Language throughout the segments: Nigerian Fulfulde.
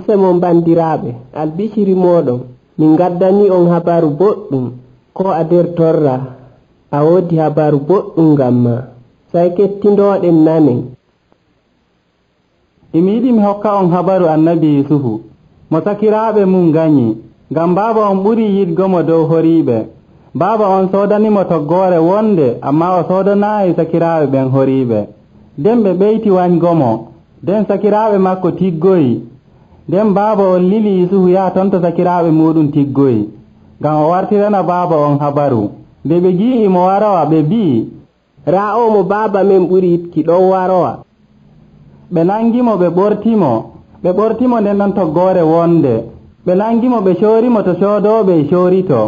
Usemo bandiraɓe, albishiri moɗon, min gaddani on habaru boɗɗum. Ko a der torra, a wodi habaru boɗɗum gamma, sai kettindoɗen nanen. Imi yiɗi mi hokka on habaru annabi Yusufu mo sakiraaɓe mum ganyi, ngam baaba on ɓuri yiɗgo mo dow horiiɓe. Baaba on soodanimo toggoore wonde, amma o soodanaayi sakiraaɓe ɓen horiiɓe. Nden ɓe ɓeyti wañgomo, nden sakiraaɓe makko tiggoyi. Nden baaba on lili Yusufu yaha ton to sakiraaɓe muɗum tiggoyi, ngam o wartirana baaba on habaru. Nde ɓe gi'i mo warowa, ɓe mbi'i, raa o mo baaba men ɓuri yiɗki ɗon warowa. Ɓe nangimo ɓe ɓortimo nden ɗon toggoore wonde. Ɓe nangimo ɓe coorimo to coodooɓe coorito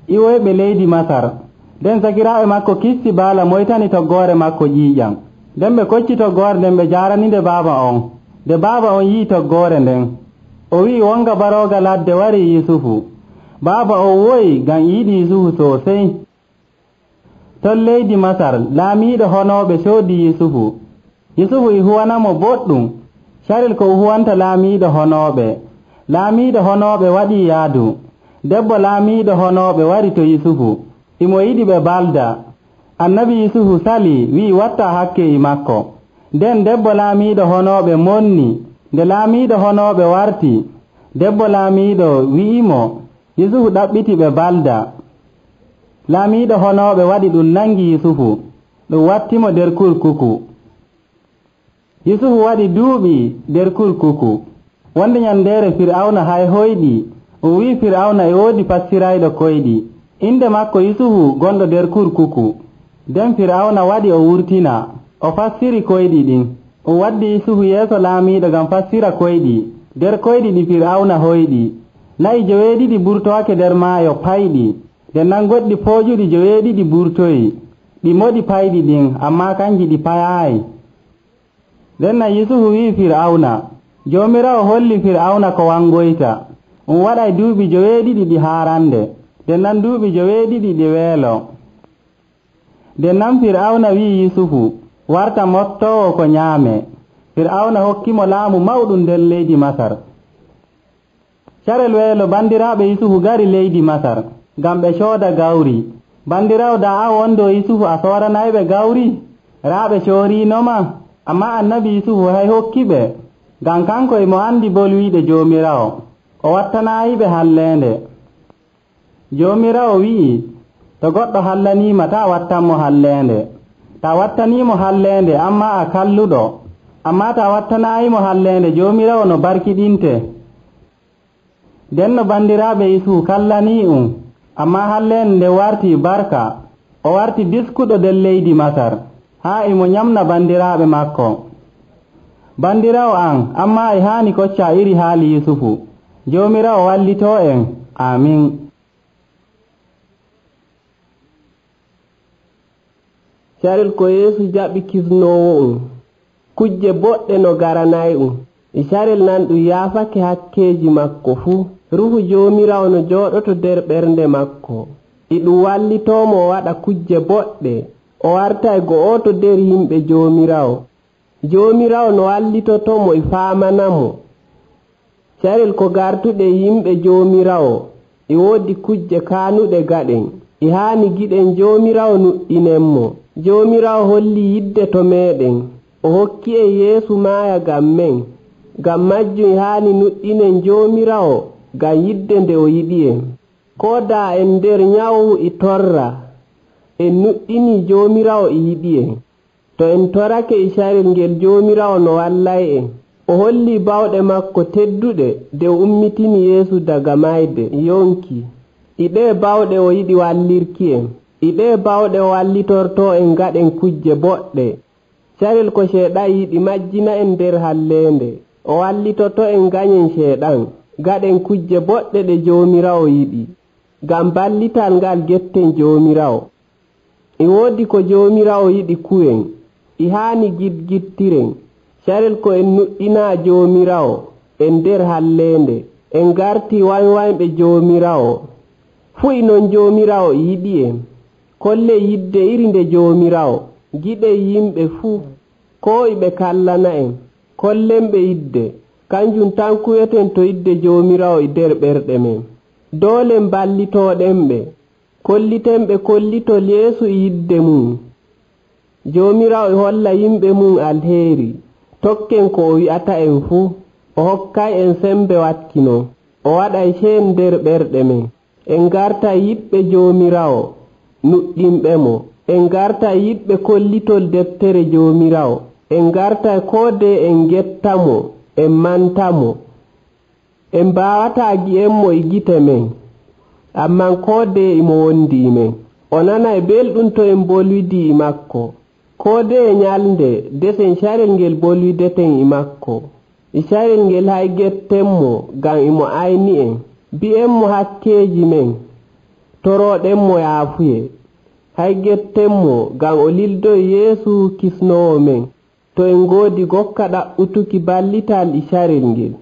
iwoyɓe leydi Masar. Nden sakiraaɓe makko kisti baala moytani toggoore makko ƴiiƴam. Nden ɓe kocci toggoore nden ɓe jaaraninde baaba on. Nde baaba on yi'i toggoore nden, o wi'i wonga barooga ladde wari Yusufu. Baaba on woyi ngam yiɗi Yusufu soosey. Ton leydi Masar laamiiɗo honooɓe soodi Yusufu. Yusufu e huwanamo boɗɗum, carel ko huwanta laamiiɗo honooɓe. Laamiiɗo honooɓe waɗii yaadu. Debbo laamiiɗo honooɓe wari to Yusufu, imo yiɗi ɓe balda. Annabi Yusufu sali wi'i watta hakke e makko. Nden debbo laamiiɗo honooɓe monni. Nde laamiiɗo honooɓe warti, debbo laamiiɗo wi'imo Yusufu ɗaɓɓiti ɓe balda. Laamiiɗo honooɓe waɗi ɗum nangi Yusufu, ɗum wattimo nder kurkuku. Yusufu waɗi duuɓi nder kurkuku. Wonde ñandeere Fir'awna hay hoyɗi, o wi'i Fir'awna e woodi passirayɗo koyɗi, inde makko Yusufu gonɗo nder kurkuku. Nden Fir'awna waɗi o wurtina, o fassiri koyɗi ɗin. O waddi Yusufu yeeso laamiiɗo ngam fassira koyɗi. Nder koyɗi ɗi Fir'awna hoyɗi, na'i 9 burtowake nder maayo payɗi. Nden nan goɗɗi poojuɗi 9 burtoyi, ɗi moɗi payɗi ɗin, ammaa kanji ɗi payaayi. Nden nan Yusufu wi'i Fir'awna, Joomiraawo holli Fir'awna ko wangoyta. Waɗay duuɓi 9 ɗi haarande, nden nan duuɓi 9 ɗi weelo. Nden nan Fir'awna wi'i Yusufu warta mottoowo ko ñaame. Fir'awna hokkimo laamu mawɗum nder leydi Masar. Carel weelo bandiraaɓe Yusufu gari leydi Masar ngam ɓe cooda gawri. Bandiraawo daa a wondo Yusufu a sooranayɓe gawri? Raa ɓe cooriinoma, ammaa annabi Yusufu hay hokkiɓe, ngam kanko emo andi bolwiiɗe Joomiraawo, o wattanaayiɓe halleende. Joomiraawo wi'i, to goɗɗo hallaniima taa wattanmo halleende. Taa wattaniimo halleende ammaa a kalluɗo, ammaa taa wattanaayimo halleende Joomiraawo no barkiɗinte. Nden no bandiraaɓe Yusufu kallanii ammaa halleende nde wartii barka, o warti diskuɗo nder leydi Masar, haa emo ñamna bandiraaɓe makko. Bandiraawo an, ammaa e haani koccaa iri haali Yusufu. Joomiraawo wallitoo en. Amin. Carel ko Yeesu jaɓi kisnoowo kujje boɗɗe no garanay e carel nan ɗum yaafake hakkeeji makko fuu. Ruhu Joomiraawo no jooɗoto nder ɓernde makko, e ɗum wallitoomo o waɗa kujje boɗɗe, o warta e go'oto nder yimɓe Joomiraawo. Joomiraawo no wallitotomo e faamanamo. Carel ko gartuɗe yimɓe Joomiraawo e woodi kujje kaanuɗe gaɗen, e haani giɗen Joomiraawo nuɗɗinenmo. Joomiraawo holli yidde to meeɗen, o hokki en Yeesu maaya ngam men. Ngam majjum e haani nuɗɗinen Joomiraawo ngam yidde nde o yiɗi en. Koo daa en nder nyawu e torra, en nuɗɗini Joomiraawo e yiɗi en. To en torake e carel ngel Joomiraawo no wallay en. O holli bawɗe makko tedduɗe nde o ummitini Yeesu daga mayde yonki. E ɗee bawɗe o yiɗi wallirki en. E ɗee bawɗe o wallitortoo en gaɗen kujje boɗɗe. Carel ko Ceeɗan yiɗi majjina en nder halleende, o wallitoto en ganyen Ceeɗan gaɗen kujje boɗɗe ɗe Joomiraawo yiɗi, ngam ballital ngal getten Joomiraawo. E woodi ko Joomiraawo yiɗi kuwen, e haani gidgittiren. Carel ko en nuɗɗinaa Joomiraawo en nder halleende, en garti wañwañɓe Joomiraawo. Fuu e non Joomiraawo yiɗi en. Kolle yidde iri nde Joomiraawo, giɗen yimɓe fuu, koo e ɓe kallana en, kollenɓe yidde, kanjum tan kuweten to yidde Joomiraawo e nder ɓerɗe men. Doole ballitooɗenɓe, kollitenɓe kollitol Yeesu e yidde mum. Joomiraawo e holla yimɓe mum alheeri. Tokken ko o wi'ata en fuu. O hokkay en sembe wakkino. O waɗay ceen nder ɓerɗe men. En gartay yiɗɓe Joomiraawo, nuɗɗinɓe mo. En gartay yiɗɓe kollitol deftere Joomiraawo. En gartay koodee en gettamo, en mantamo. En mbaawataa gi'enmo e gite men, amman koodee imo wondi men. O nanay belɗum to en bolwidii e makko. Koodee nyalnde desen carel ngel bolwideten e makko. E carel ngel hay gettenmo ngam imo ayni en. Bi'enmo hakkeeji men, torooɗenmo yaafuye. Hay gettenmo ngam o lildoy Yeesu kisnoowo men. To en ngoodi gokka ɗaɓɓutuki ballital e carel ngel.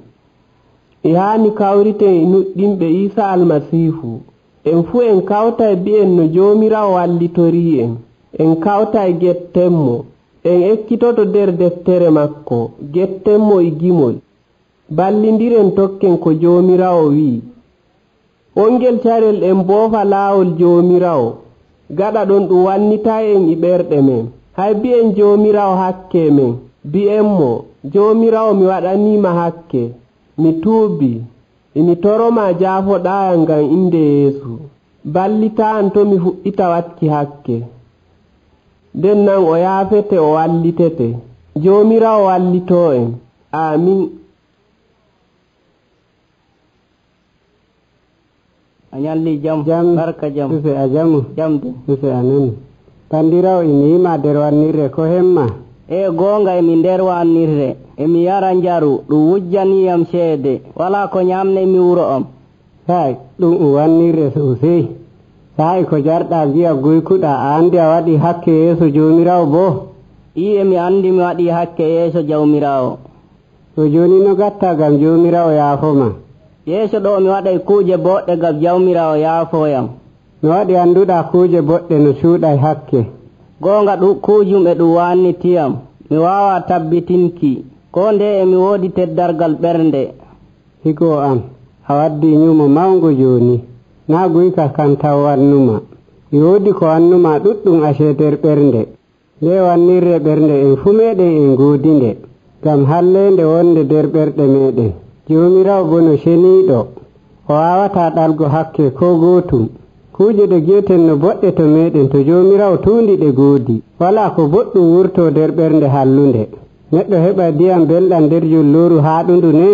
E haani kawriten e nuɗɗinɓe Iisa Almasiihu. En fuu en kawtay bi'en no Joomiraawo wallitorii en. En kawtay gettenmo. En ekkitoto nder deftere makko, gettenmo e gimol. Ballindiren tokken ko Joomiraawo wi'i. Wongel carel en boofa laawol Joomiraawo. Gaɗa ɗon ɗum wannitay en e ɓerɗe men. Hay bi'en Joomiraawo hakke men. Bi'enmo, Joomiraawo mi waɗaniima hakke. Mi tuubii. Emi toroma jaafoɗaayam ngam inde Yeesu. Ballitaa to mi fuɗɗita watki hakke. Den nan o yaafete o wallitete. Joomiraawo wallitoo en. Aamin. A ñalli jam barka jam sufe a jamu jamde sufe a nani bandirawo imiima nder wannirre ko hemma goonga emi nder wannirre emi yara njaru ɗum wujjaniyam ceede wala ko ñamne mi wuro am hay ɗum wannirre sosai sa'i ko jarɗa wi'a guykuɗa a andi a waɗi hakke yeeso Joomiraawo bo emi andi mi waɗi hakke yeeso Jawmiraawo to joni no gatta gam Joomiraawo yaafoma yeeso ɗo mi waɗay kuuje boɗɗe gam Jawmiraawo yaafoyam no waɗi annduɗa kuuje boɗɗe no cuuɗay hakke goonga ɗum kuujum e ɗum wannitiyam mi waawa tabbitinki ko nde emi woodi teddargal ɓernde higo am a waddi ñumo mawngo joni na guyka kan taw wannuma e woodi ko wannuma ɗuɗɗum acee nder ɓernde nde wannirre ɓernde en fu meɗen en goodinde gam hallende wonde nder ɓerɗe meɗen Joomiraawo bo no ceniiɗo o wawata ɗalgo hakke ko gootum kuuje ɗe gi'eten no boɗɗe to meɗen to Joomiraawo tuundi ɗe goodi wala ko boɗɗum wurto nder ɓernde hallunde neɗɗo heɓa ndiyam belɗam nder julluru haaɗundu ne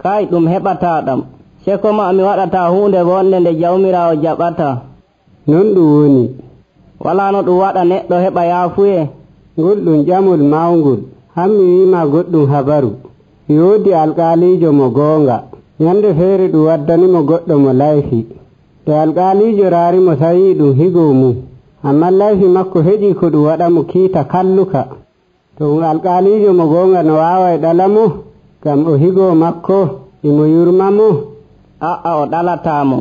kay ɗum heɓataɗam seko ma mi waɗata hunde wonde nde Jawmiraawo jaɓata non ɗum woni wala no ɗum waɗa neɗɗo heɓa yaafuye ngol ɗum ƴamol mawngol hammi wiima goɗɗum habaru yoodi alƙaaliijo mo goonga ñande feere ɗum waddanimo goɗɗo mo layfi te alƙaaliijo raarimo tawii ɗum higoo mum amma layfi makko heƴii ko ɗum waɗa mo kiita kalluka to ɗum alƙaaliijo mo goonga no waawa e ɗala mo ngam o higoo makko imo yurma mo aa o ɗalataamo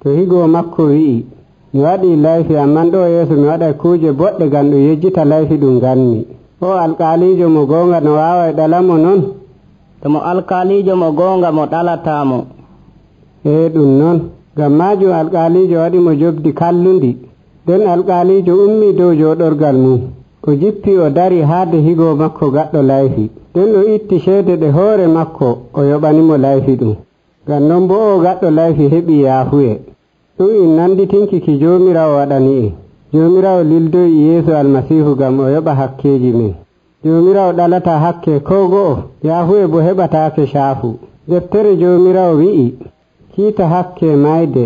to higoo makko wi'i mi waɗii layfi amman ɗo yeeso mi waɗay kuuje boɗɗe ngam ɗum yejjita layfi ɗum nganmi o alƙaaliijo mo goonga no waawa e ɗala mo non to mo alƙaaliijo mo goonga mo ɗalataamo ɗum noon ngam maajum alƙaaliijo waɗi mo jobdi kallundi nden alƙaaliijo ummii dow jooɗorgal mum o jippi o dari haade higoo makko gaɗɗo layfi nden o itti ceede ɗe hoore makko o yoɓanimo layfi ɗum ngam non bo o gaɗɗo layfi heɓii yaafuye ɗum in nanditinki ki Joomiraawo waɗani en Joomiraawo lildoyi Yeesu Almasiihu ngam o yoɓa hakkeeji men Joomiraawo ɗalata hakke ko go'o yaafuye bo heɓataake caafu deftere Joomiraawo wi'i kiita hakke mayde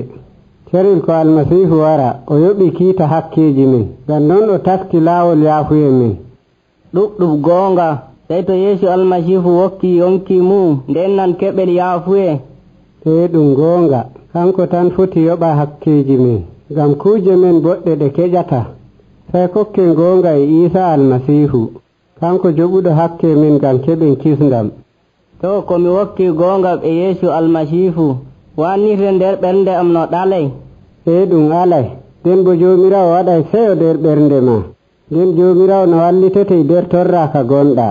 carel ko Almasiihu wara o yoɓi kiita hakkeeji men ngam non o taski laawol yaafuye men ɗuɗɗum goonga sey to Yeesu Almasiihu wokki yonki mum nden nan keɓel yaafuye ɗum goonga kanko tan foti yoɓa hakkeeji men ngam kuuje men boɗɗe ɗe keƴata sey kokken goonga e Iisa Almasiihu kanko joɓuɗo hakke men ngam keɓen kisndam to komi wokki goonga e Yeesu Almasiihu wannirde nder ɓernde am no ɗalay ɗum alay nden bo Joomiraawo waɗay seyo nder ɓernde ma nden Joomiraawo no wallitete nder torraaka gonɗa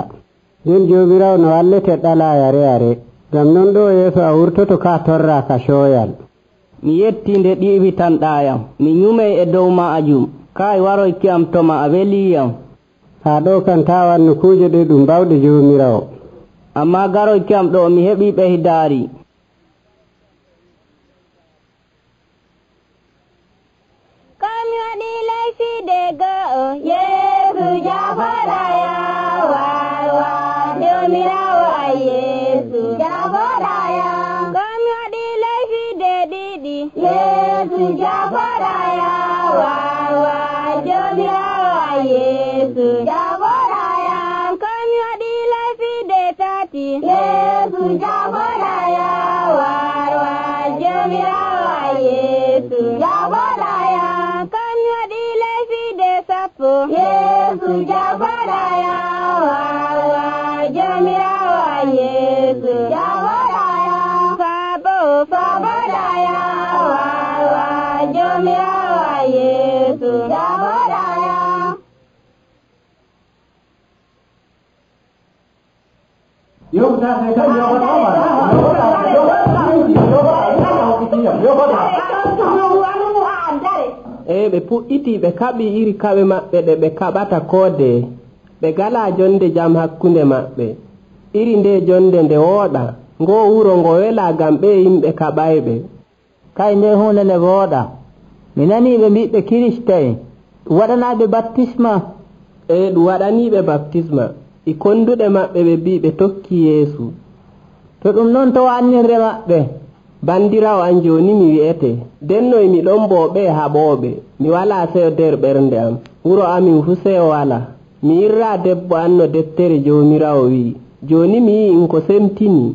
nden jomirawo no wallete ɗala yare yare. Ngam non ɗo yeeso a wurtoto ka torra ka coyal. mi yetti nde ɗiɓitanɗayam, mi nyumay e dow maajum. Kay waroyki am toma a weliyam. Ha ɗo kan ta wannu kuuje ɗe ɗum bawɗe jomirawo. Amma garoyki am ɗo mi heɓi ɓeydaari. Kami waɗi leyfiide go'o Yeesu jafoɗaya wawa jomirawo a Yeesu jafoɗaya. Kami waɗi leyfiide ɗiɗi Yeesu jafoɗaya wawa jomirawo a Yeesu jafoɗaya. Kami waɗi leyfiide tati Yeesu jafoɗaya wawa jomirawo a Yeesu jafoɗaya. Yeesu jafoɗaya wawa jomirawo a Yeesu jafoɗaya. Faboɗaya wawa jomirawo a Yeesu jafoɗaya. ɓe puɗɗiti ɓe kaɓi iri kaɓe maɓɓe ɗe ɓe kaɓata koode. Ɓe gala jonde jam hakkunde maɓɓe. Iri nde jonde nde wooɗa, ngo wuro ngo wela gam ɓe yimɓe kaɓayɓe. Kay nde hunde nde wooɗa. Mi nani ɓe mbiɓe kirista'en waɗanaɓe baptisma. Ɗum waɗaniɓe baptisma. I konduɗe maɓɓe ɓe mbi ɓe tokki Yeesu. To ɗum noon to wannirre maɓɓe. Bandirawo an joni mi wi'ete denno mi ɗon bo ɓe haɓoɓe. Mi wala seyo nder ɓernde am, wuro amin fu seyo wala. Mi irra debbo an no deftere jomirawo wi. Joni mi yi in ko semtini,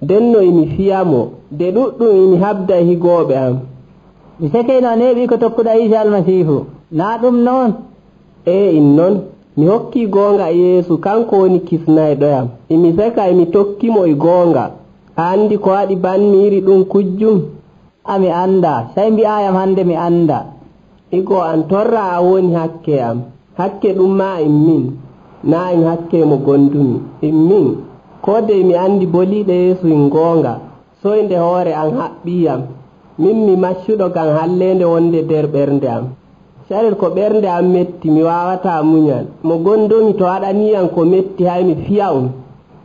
denno mi fiyamo de ɗuɗɗum imi habda higoɓe am. Mi sekeyno a neeɓi ko tokkuɗa Isa Almasihu, na ɗum noon? In noon mi hokki gonga Yeesu kanko woni kisnayɗoyam. Imi seka imi tokkimo e gonga. A andi ko waɗi banmiiri ɗum kujjum? Ami anda, sey mbi'ayam hande mi anda. Igo an torra a woni hakke am. Hakke ɗum ma min, na en hakke mo gondumi. Min, ko de mi andi boliɗe Yeesu in gonga, soyde hoore an haɓɓiyam. Min mi maccuɗo gam hallende wonde nder ɓernde am. Sarir ko ɓernde am metti mi wawata muñal. Mo gondumi to waɗaniyam ko metti hay mi fiya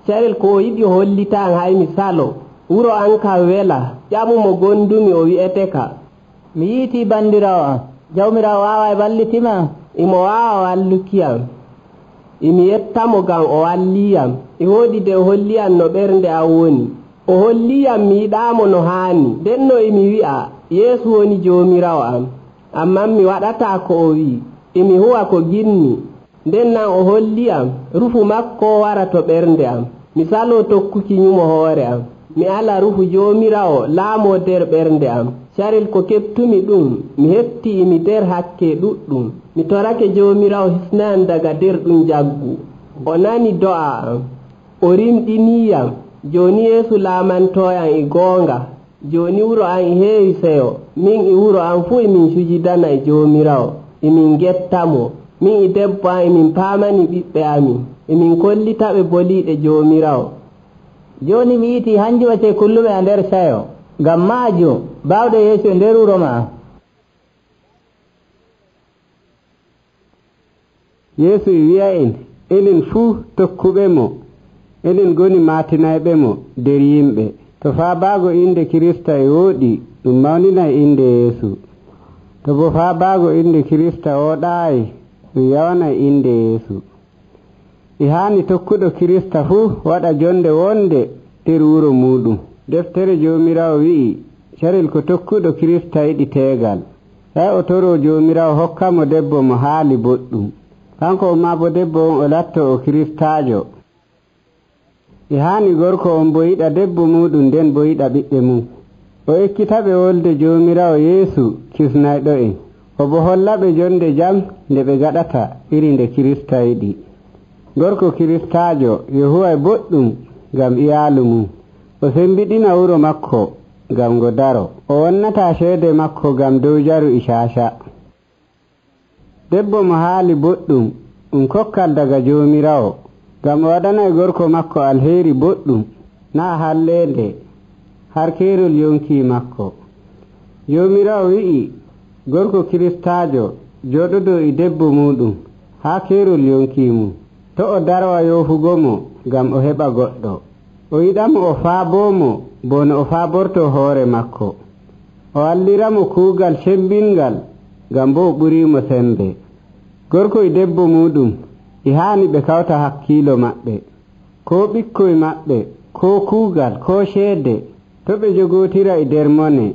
Sarel ko yiɗi hollita an hay mi salo. Wuro an ka wela, ƴamu mo gondumi o wi'ete ka. Mi yiiti bandirawo an, jawmirawo wawa e ballitima? Imo wawa wallukiyam. Imi yettamo gam o walliyam. E woodi de o holliyam no ɓernde am woni. O holliyam mi yiɗamo no haani. Denno imi wi'a Yeesu woni jomirawo am. Amman mi waɗata ko o wi. Imi huwa ko ginni. Nden nan o holliyam rufu makko wara to ɓernde am. Mi salo tokkuki nyumo hoore am. Mi ala rufu jomirawo laamo nder ɓernde am. Saril ko keɓtumi ɗum mi hetti imi nder hakke ɗuɗɗum. Mi torake jomirawo hisnayam daga nder ɗum jaggu. O nani do'a am, o rimɗiniyam. Joni Yeesu laamantoyam e gonga. Joni wuro an e heewi seyo. Min e wuro an fu emin sujidana e jomirawo. Emin gettamo. Min e debbo an emin paamani ɓiɓɓe amin. Emin kollitaɓe boliɗe jomirawo. Joni mi yiiti hanjum wacce kulluɓe a nder sayo. Ngam majum bawɗe Yeesu e nder wuro ma. Yeesu wi'a en enen fuu tokkuɓe mo, enen goni matinayɓe mo nder yimɓe. To faabago inde Kirista e woɗi ɗum mawninay inde Yeesu. To bo faabago inde Kirista woɗayi ɗum yawanay inde Yeesu. E hani tokkuɗo Kirista fuu waɗa jonde wonde nder wuro muɗum. Deftere jomirawo wi'i carel ko tokkuɗo Kirista yiɗi tegal. Hay o toro jomirawo hokkamo debbo mo haali boɗɗum. Kanko ma bo debbo on o latto o Kiristajo. E hani gorko on bo yiɗa debbo muɗum nden bo yiɗa ɓiɓɓe mum. O ekkitaɓe wolde jomirawo Yeesu kisnayɗo en. O bo hollaɓe jonde jam nde ɓe gaɗata iri nde Kirista yiɗi. Gorko Kiristajo yo huway boɗɗum gam iyalu mum. O sembiɗina wuro makko gam ngo daro. O wonnata ceede makko gam dow jaru e caca. Debbo mo haali boɗɗum kokkal daga jomirawo. ngam o waɗanay gorko makko alheri boɗɗum naa halleende har keerol yonki makko. Joomiraawo wi'i gorko kiristaajo jooɗodoo e debbo muɗum haa keerol yonki mum to o darwa yoofugo mo ngam o heɓa goɗɗo. O yiɗamo o faaboomo bo no o faabortoo hoore makko. O walliramo kuugal cembingal ngam bo o ɓuriimo sembe. Gorko e debbo muɗum e haani ɓe kawta hakkiilo maɓɓe, koo ɓikkoy maɓɓe, koo kuugal, koo ceede, to ɓe jogootira e nder mone,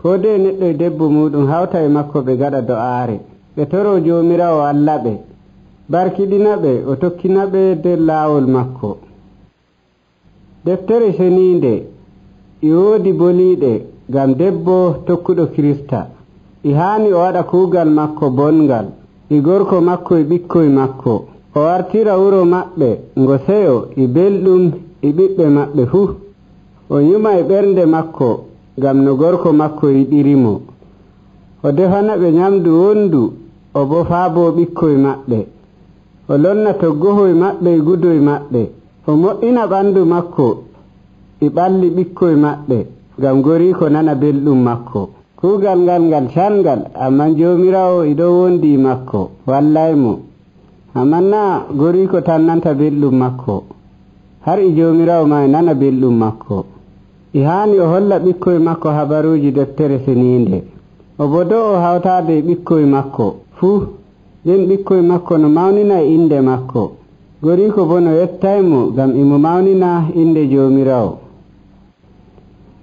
koo de neɗɗo e debbo muɗum hawta e makko ɓe gaɗa do'aare, ɓe toroo Joomiraawo Allah ɓe, barkiɗina ɓe, o tokkina ɓe nder laawol makko. Deftere seniinde e woodi boliiɗe ngam debbo tokkuɗo Kirista e haani o waɗa kuugal makko bongal e gorko makko e ɓikkoy makko, o wartira wuro maɓɓe ngo seyo e belɗum e ɓiɓɓe maɓɓe fuu, o nyuma e ɓernde makko ngam no gorko makko yiɗirimo, o defana ɓe nyamdu wondu, o bo faaboo ɓikkoy maɓɓe, o lonna toggohoy maɓɓe e gudoy maɓɓe, o moƴƴina ɓandu makko e ɓalli ɓikkoy maɓɓe ngam goriiko nana belɗum makko. Kuugal ngal ngal cangal, amman Joomiraawo e ɗon wondi makko wallaymo, amman naa goriiko tan nanta belɗum makko, har e Joomiraawo ma e nana belɗum makko. E haani o holla ɓikkoy makko habaruuji deftere seniinde, o bo do'o hawtaade e ɓikkoy makko fuu, nden ɓikkoy makko no mawnina e inde makko, goriiko bo no yettaymo ngam imo mawnina inde Joomiraawo.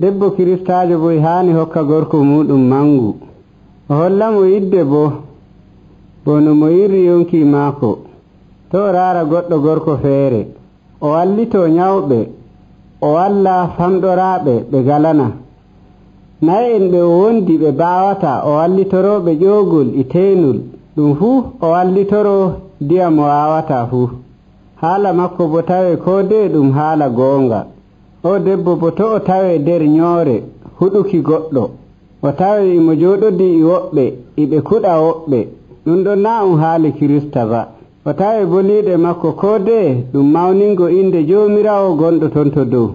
Debbo kiristaajo bo e haani hokka gorko muɗum mangu, o hollamo yidde bo no mo yirri yonki maako, to o raara goɗɗo gorko feere, o wallitoo nyawɓe, o walla famɗoraaɓe ɓe galana, nayi en ɓe o wondi ɓe baawata, o wallitorooɓe ƴoogol e teenul, ɗum fuu o wallitoroo ndiyam mo waawata fuu. Haala makko bo tawee koo de ɗum haala goonga. O debbo bo to o tawee nder nyoore huɗuki goɗɗo, o tawee imo jooɗodii e woɓɓe iɓe kuɗa woɓɓe, ɗum ɗon naa um haali Kirista ba. O tawee boliiɗe makko koo de ɗum mawningo inde Joomiraawo gonɗo ton to dow.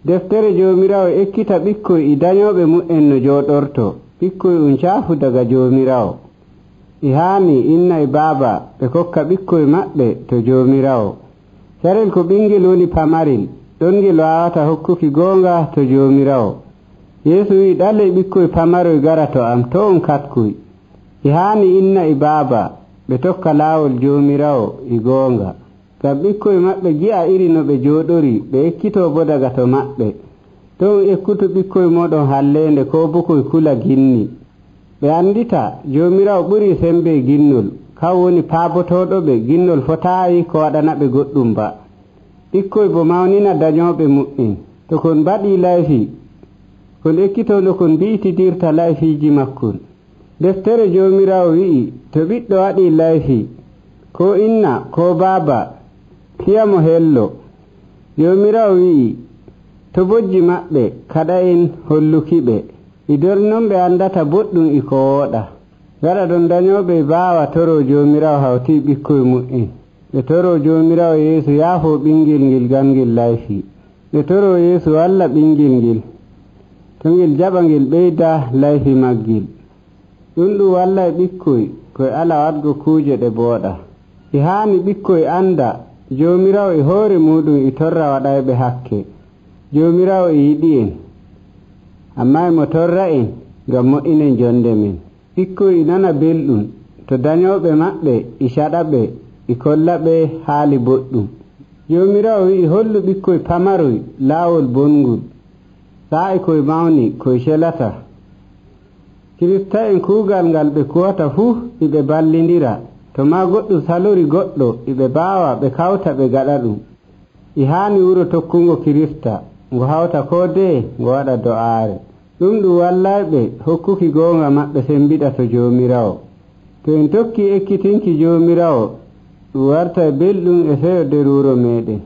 Deftere Joomiraawo ekkita ɓikkoy e dañooɓe mu'en no jooɗorto, ɓikkoy um caafu daga Joomiraawo. E haani inna e baaba ɓe kokka ɓikkoy maɓɓe to Joomiraawo. Carel ko ɓingel woni pamarel, ɗon ngel waawata hokkuki goonga to Joomiraawo. Yeesu wi'i ɗale ɓikkoy pamaroy gara to am, to on katkuy. E haani inna e baaba ɓe tokka laawol Joomiraawo e goonga, ngam ɓikkoy maɓɓe gi'a iri no ɓe jooɗori, ɓe ekkitoo bo daga to maɓɓe. To on ekkutu ɓikkoy mooɗon halleende koo bo koye kula ginni. Ɓe anndita Joomiraawo ɓurii sembe ginnol, kan woni paabotooɗo ɓe ginnol fotaayi ko waɗana ɓe goɗɗum ba. Ɓikkoy bo mawnina dañooɓe mu'en, to kon mbaɗii layfi kon ekkitoo no kon mbi'itidirta layfiiji makkon. Deftere Joomiraawo wi'i to ɓiɗɗo waɗii layfi koo inna koo baaba fiyamo hello. Joomiraawo wi'i to bojji maɓɓe kaɗa en holluki ɓe, e nder non ɓe anndata boɗɗum e ko wooɗa. Gaɗa ɗon dañooɓe baawa toroo Joomiraawo hawtii ɓikkoy mu'en, ɓe toroo Joomiraawo Yeesu yaafoo ɓingel ngel ngam ngel layfi, ɓe toroo Yeesu walla ɓingel ngel to ngel jaɓa ngel ɓeyda layfi maggel. ɗum ɗum wallay ɓikkoy koye ala waɗgo kuuje ɗe booɗa. E haani ɓikkoy annda Joomiraawo e hoore muɗum e torra waɗayɓe hakke. Joomiraawo e yiɗi en, ammaa emo torra en ngam moƴƴinen jonde men. Ɓikkoy e nana belɗum to dañooɓe maɓɓe e caɗa ɓe e kolla ɓe haali boɗɗum. Joomiraawo wi'i hollu ɓikkoy pamaroy laawol bongol, saa'i koye mawni koye celata. Kirista en kuugal ngal ɓe kuwata fuu iɓe ballindira, to maa goɗɗum salori goɗɗo iɓe baawa ɓe kawta ɓe gaɗa ɗum. E haani wuro tokkungo Kirista ngo hawta koo de ngo waɗa do'aare. ɗum ɗum wallayɓe hokkuki goonga maɓɓe sembiɗa to Joomiraawo. To en tokki ekkitinki Joomiraawo ɗum warta e belɗum e seyo nder wuro meɗen.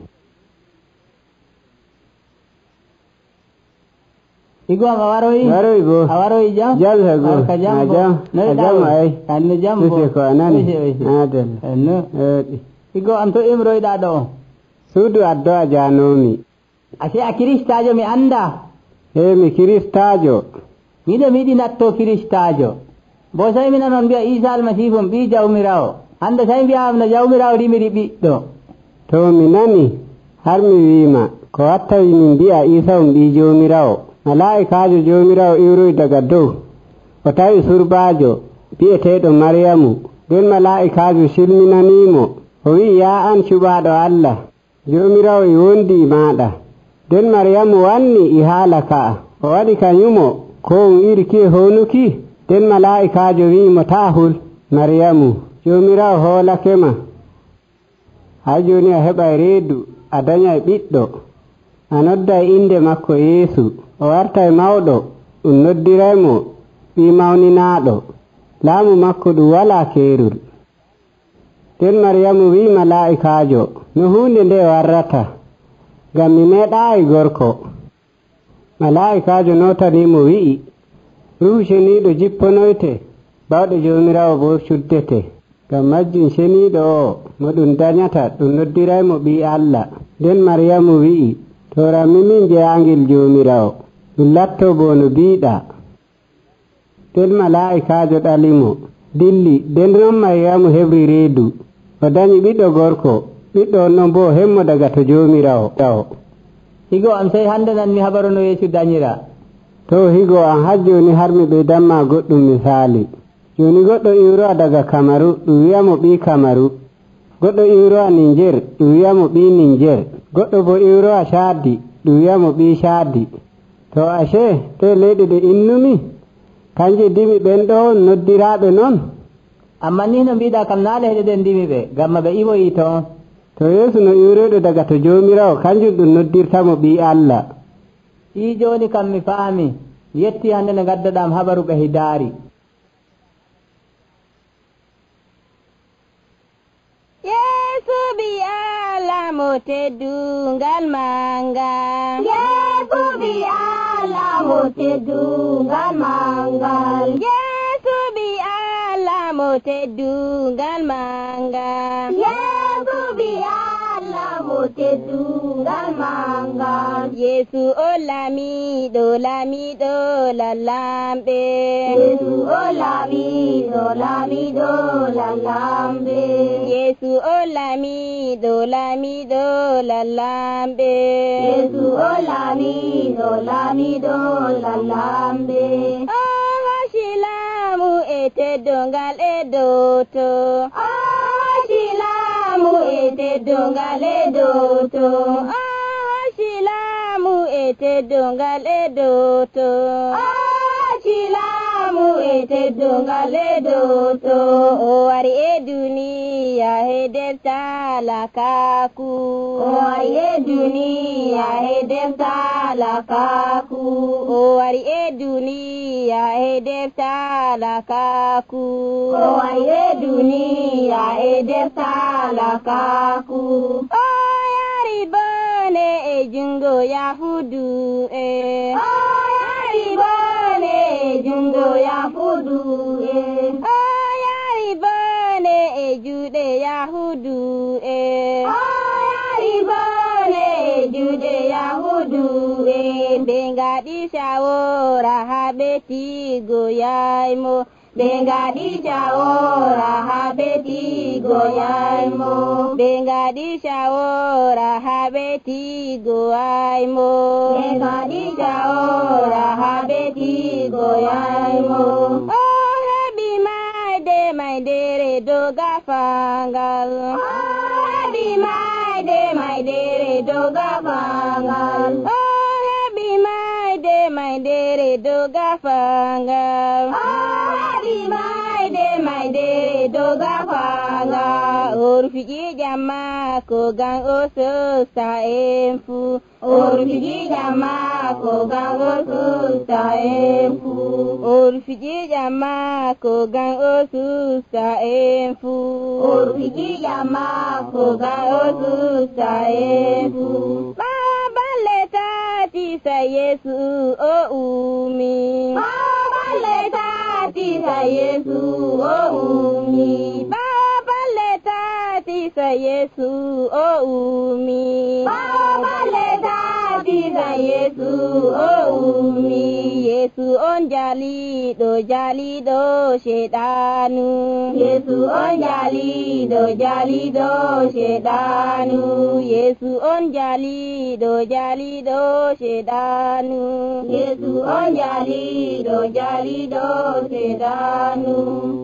Igo a waroyi? Waroyi bo. A waroyi jam? Jam ha go. Ka jam bo. A jam ay. Anne jam bo. Ko anani. Adel. No. Higo am to imroyɗa ɗo? Suudu addu'a janomi. Ase a kiristajo mi anda? Mi kiristajo. Miɗo miɗi natto kiristajo. Bo sai mi nanon mbi'a Isa almasihu ɓi jawmirawo. Hande sai mbi'am no jawmirawo rimiri ɓiɗɗo. To mi nani har mi wiima ko wattawi min mbi'a Isa ɓi jawmirawo. Mala'ikajo jawmirawo iwroyi daga dow o tawi surbaajo bi'eteeɗo Maryamu. Nden mala'ikajo silminanimo o wi'i yaa an cuɓaaɗo Allah, jawmirawo e wondi e maɗa. Nden Maryamu wanni e haala ka'a o waɗi kanyumo ko on irki honuki. Nden mala'ikajo wi'imo taa hul Maryamu, jawmirawo hoolakema. Hay joni a heɓa reedu a daña ɓiɗɗo a nodda inde makko Yeesu, o wartay mawɗo ɗum noddiraymo ɓi mawninaɗo, laamu makko ɗum wala keerol. Nden Maryamu wi mala'ikajo no hunde nde warrata, ngam mi meeɗaayi gorko. Mala'ikajo notanimo wi'i Ruhu Ceniiɗo jipponoyte, bawɗe jawmirawo bo cuddete. Ngam majjum ceniiɗo o mo ɗum dañata ɗum noddiraymo ɓi Allah. Nden Maryamu wi'i to rammi min jeyaangel jawmirawo, ɗum latto bo no biiɗa. Nden mala'ikajo ɗalimo dilli. Nden non Maryamu heɓri reedu o dañi ɓiɗɗo gorko. Ɓiɗɗo on non bo hemmo daga to jawmirawo. Higo am sai hande nan mi habaru no Yeesu dañira. To higo am har joni har mi ɓeydamma goɗɗum misali. Joni goɗɗo iwrowa daga Kamaru ɗum wiyamo ɓi Kamaru. Goɗɗo iwrowa Niger ɗum wiyamo ɓi Niger. Goɗɗo bo iwrowa Chadi ɗum wiyamo ɓi Chadi. To ashe te leyɗe ɗe innumi kanje dimi ɓen ɗo noddiraɓe noon. Amma ni no mbiɗa kam naale heɗe ɗen dimi ɓe gamma ɓe iwoyi toon. To Yeesu no iwroyɗo daga to jawmirawo kanjum ɗum noddirtamo ɓi Allah. I joni kam mi faami. Yetti hande no gaddaɗam habaru ɓe hidaari. Yeesu ɓi Allah mo teddungal manga. Yeesu ɓi Allah mo teddungal mangal. Yeesu ɓi Allah mo teddungal manga. Yeesu ɓi Allah mo teddungal mangal. Yeesu o lamiɗo lamiɗo lallamɓe. Yeesu o lamiɗo lamiɗo lallamɓe. Yeesu o lamiɗo lamiɗo lallamɓe. Yeesu o lamiɗo lamiɗo lallamɓe. O hasilamu e teddungal e doto. O hasilamu e teddungal e doto. O hasilamu e teddungal e doto. O hasilamu e teddungal e doto. O wari e duniya he nder talakaku. O wari e duniya he nder talakaku. O wari e duniya he nder talakaku. O wari e duniya he nder talakaku. O yari bone e jungo Yahudu e. O yari bone e jungo Yahudu e. O yari bone e juuɗe Yahudu e. O yari bone e juuɗe Yahudu e. Ɓe ngaɗi shawora ha ɓetigo yaymo. Ɓe ngaɗi shawora ha ɓetigo yaymo. Ɓe ngaɗi shawora ha ɓetigo yaymo. Ɓe ngaɗi shawora ha ɓetigo yaymo. O heɓi maydere dow gafangal. O heɓi maydere dow gafangal. O heɓi maydere dow gafangal. O heɓi maydere dow gafangal. O rufiji jamma ko gan o sosta en fu. O rufiji jamma ko gan o sosta en fu. O rufiji jamma ko gan o sosta en fu. O rufiji jamma ko gan o sosta en fu. Baballe tati sa Yesu o umi. Baballe tati sa Yesu o umi. Baballe tati sa Yesu o umi bale tati ga Yesu o umi Yesu on jalido shedanu Yesu on jalido shedanu Yesu on jalido shedanu Yesu on jalido shedanu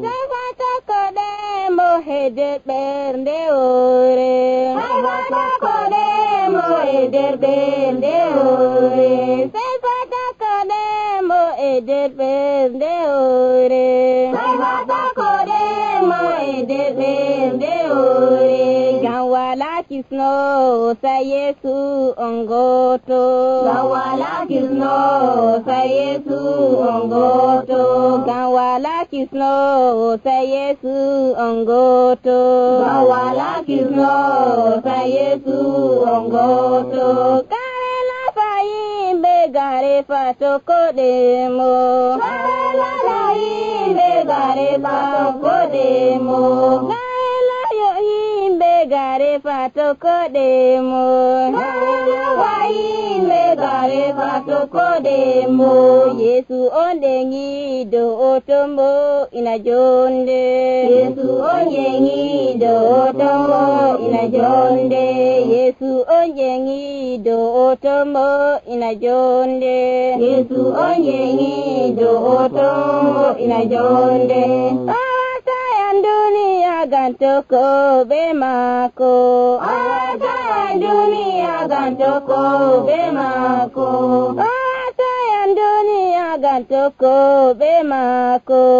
Sabata kode mo hede bernde ore Sabata kode mo hede bernde ore Sabata kode mo hede bernde ore Sabata kode mo hede bernde ore Gawala kisno sa Yesu ongoto Gawala kisno sa Yesu ongoto Gawala kisno sa Yesu ongoto Gawala kisno sa Yesu ongoto Karela faimbe gare fatoko demo Karela faimbe gare fatoko demo Karela yo himbe gare fatoko demo Karela faimbe gare fatoko demo Yesu ondengi do otombo ina jonde Yesu ondengi do otombo ina jonde Yesu ondengi do otombo ina jonde Yesu ondengi do otombo ina jonde Dunia gantoko bemako dunia gantoko bemako dunia gantoko bemako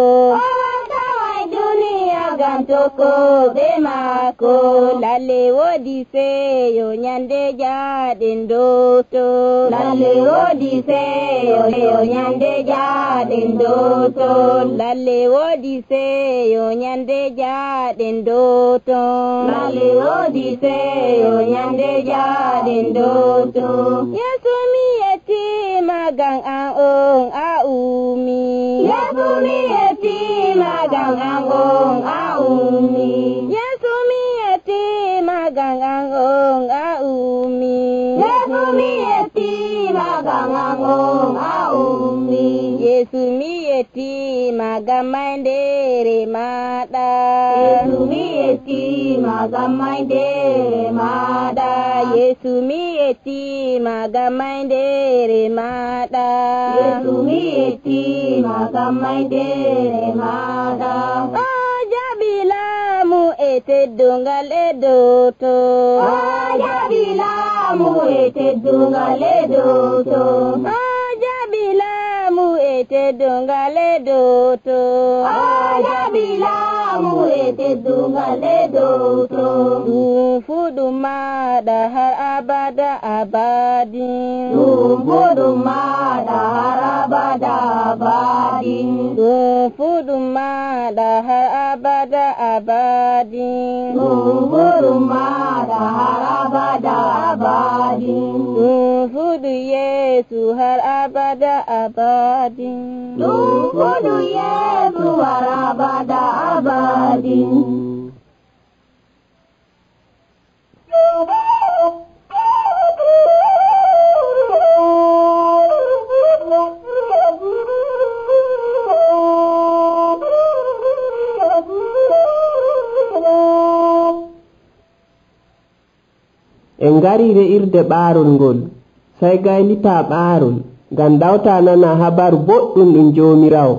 dunia gantoko bemako lalle wodi seyo nyande jaden doto lalle wodi seyo nyande jaden doto lalle wodi seyo nyande jaden doto lalle wodi seyo nyande jaden doto Yesu mi eti magang aong aumi Yesu mi eti magang aong aumi Yesu mi eti magang aong aumi Yesu mi eti magang aong aumi Yesu mi eti magamaindere mada Yesu mi eti magamaindere mada Yesu mi eti magamaindere mada Yesu mi eti magamaindere mada Jabilamu ete dungal edoto Jabilamu ete dungal edoto Jabilamu ete dungal edoto Jabilamu ete dungal edoto Fudumada har abada abadin Fudumada har abada abadin Fudumada har abada abadin Fudumada har abada abadin Fudu Yesu har abada abadin Fudu Yesu har abada abadin En ngari irde ɓaarol ngol sai gaylita ɓaarol ngam dawta nana habaru boɗɗum ɗum Jomirawo.